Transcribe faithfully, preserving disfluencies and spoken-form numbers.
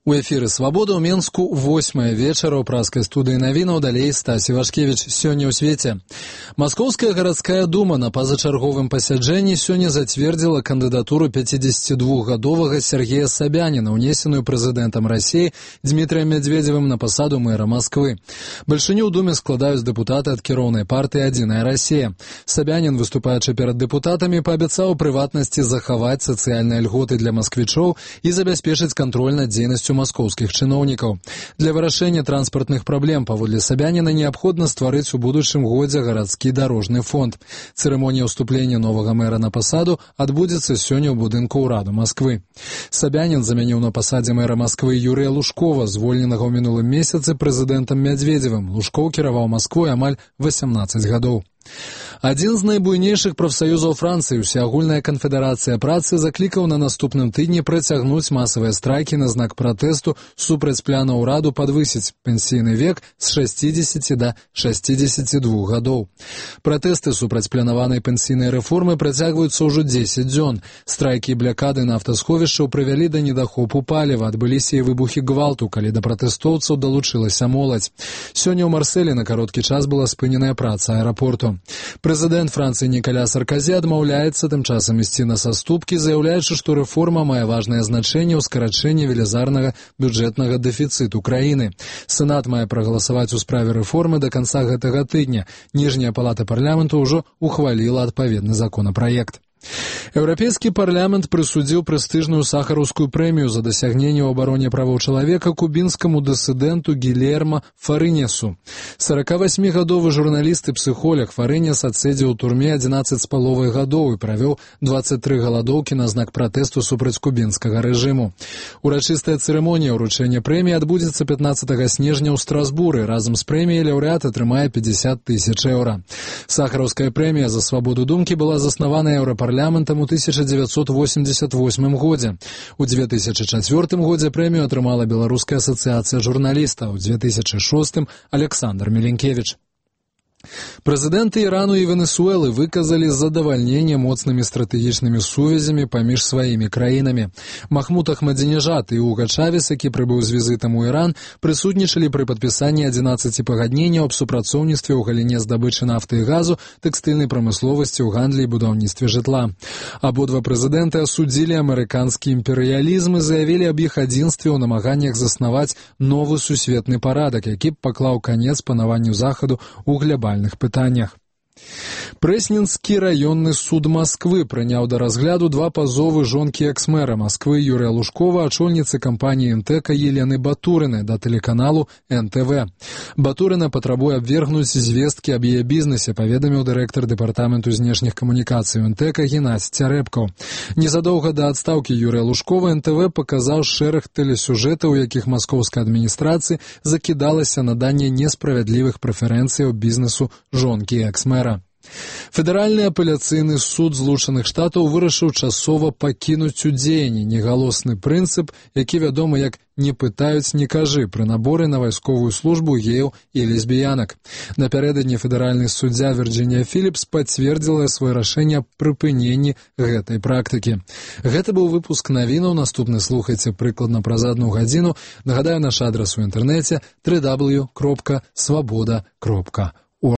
У эфіры «Свабода» ў Менску восьмая вечара ў праскай студыі навінаў, далей Стасі Вашкевіч. Сёння ў свеце. Маскоўская гарадская дума на пазачарговым пасяджэнні сёння зацвердзіла кандыдатуру пяцідзесяцідвухгадовага Сергея Собянина, унесеную прэзідэнтам Расіі Дмітрием Медведевым на пасаду мэра Масквы. Бальшыню ў думе складаюць дэпутаты ад кіроўнай партыі «Адзіная Расія». Собянин, выступаючы перад дэпутатамі, паабяцаў у прыватнасці захаваць сацыяльныя льготы для масквічоў і забяспечыць кантроль над дзейнасцю маскоўскіх чыноўнікаў. Для вырашэння транспартных праблем, паводле Собянина, неабходна стварыць у будучым годзе гарадскі дарожны фонд. Цырымонія ўступлення новага мэра на пасаду адбудзецца сёння ў будынку ўраду Масквы. Собянин замяніў на пасадзе мэра Масквы Юрыя Лужкова, звольненага ў мінулым месяцы прэзідэнтам Медведевым. Лужкоў кіраваў Масквой амаль васямнаццаць гадоў. Адзін з найбуйнейшых прафсаюзаў Францыі, Усеагульная канфедэрацыя працы, заклікаў на наступным тыдні працягнуць масавыя страйкі на знак пратэсту супраць пляна ўраду падвысіць пенсійны век з шасцідзесяці да шасцідзесяці двух гадоў. Пратэсты супраць планаванай пенсійнай рэформы працягваюцца ўжо дзесяць дзён. Страйкі і блякады нафтасховішчаў прывялі да недахопу паліва, адбыліся і выбухі гвалту, калі да пратэстоўцаў далучылася моладзь. Сёння ў Марселі на кароткі час была спыненая праца аэрапорту. Прэзідэнт Францыі Нікаля Сарказі адмаўляецца тым часам ісці на саступкі, заяўляючы, што рэформа мае важнае значэнне ў скарачэнні велізарнага бюджэтнага дэфіцыту краіны. Сенат мае прагаласаваць у справе рэформы да канца гэтага тыдня. Ніжняя палата парламенту ўжо ухваліла адпаведны законапраект. Еўрапейскі парламент прысудзіў прэстыжную сахараўскую прэмію за дасягненне ў абароне правоў чалавека кубінскаму дысідэнту Гильермо Фарынесу. сорокавасьмігадовы журналіст і псіхолог Фарынес адседзеў у турме адзінаццаць з паловай гадоў і правёў дваццаць тры галадоўкі на знак пратэсту супраць кубінскага рэжыму. Урачыстая цырымонія ўручэння прэміі адбудзецца пятнаццатага снежня ў Страсбуры. Разам з прэміяй лаўрэат атрымае пятьдесят тысяч еўра. Сахараўская прэмія за свабоду думкі была заснавана Еўрапарламентам у тысяча дзевяцьсот восемьдесят восьмым годзе. У две тысячы чацвёртым годзе прэмію атрымала Беларуская асацыяцыя журналістаў, у две тысячи шостым Александр Миленкевич. Прэзідэнты Ірану і Венесуэлы выказалі задавальненне моцнымі стратэгічнымі сувязямі паміж сваімі краінамі. Махмуд Ахмадзінежад і Уга Чавес, які прыбыў з візітам у Іран, прысутнічалі пры падпісанні адзінаццаці пагадненняў аб супрацоўніцтве ў галіне здабычы нафты і газу, тэкстыльнай прамысловасці, ў гандлі і будаўніцтве жытла. Абодва прэзідэнты асудзілі амерыканскі імперыялізм і заявілі аб іх адзінстве ў намаганнях заснаваць новы сусветны парадак, які б паклаў канец панаванню захаду ў глобальным пытаннях. Прэсненскі раённы суд Масквы прыняў да разгляду два пазовы жонкі экс-мэра Масквы Юрыя Лужкова, ачольніцы кампаніі МТЭКа Елены Батурыны да тэлеканалу эн тэ вэ. Батурына патрабуе абвергнуць звесткі аб яе бізнесе, паведаміў дырэктар дэпартаменту знешніх камунікацый МТЭКа Геннадзь Цярэбкаў. Незадоўга да адстаўкі Юрыя Лужкова эн тэ вэ паказаў шэраг тэлесюжэтаў, у якіх маскоўская адміністрацыя закідалася наданне несправядлівых прэферэнцыяў бізнесу жонкі экс-мэра. Федэральны апеляцыйны суд Злучаных Штатаў вырашыў часова пакінуць у дзеянні негалосны прынцып, які вядомы як «не пытаюць, не кажы» пры наборы на вайсковую службу геяў і лесбіянак. Напярэдадні федэральны суддзя Вірджынія Філіпс пацвердзіла сваё рашэнне аб прыпыненні гэтай практыкі. Гэта быў выпуск навінаў. Наступны слухайце прыкладна праз адну гадзіну. Нагадаю, наш адрас у інтэрнэце дабл ю дабл ю дабл ю крапка свабода крапка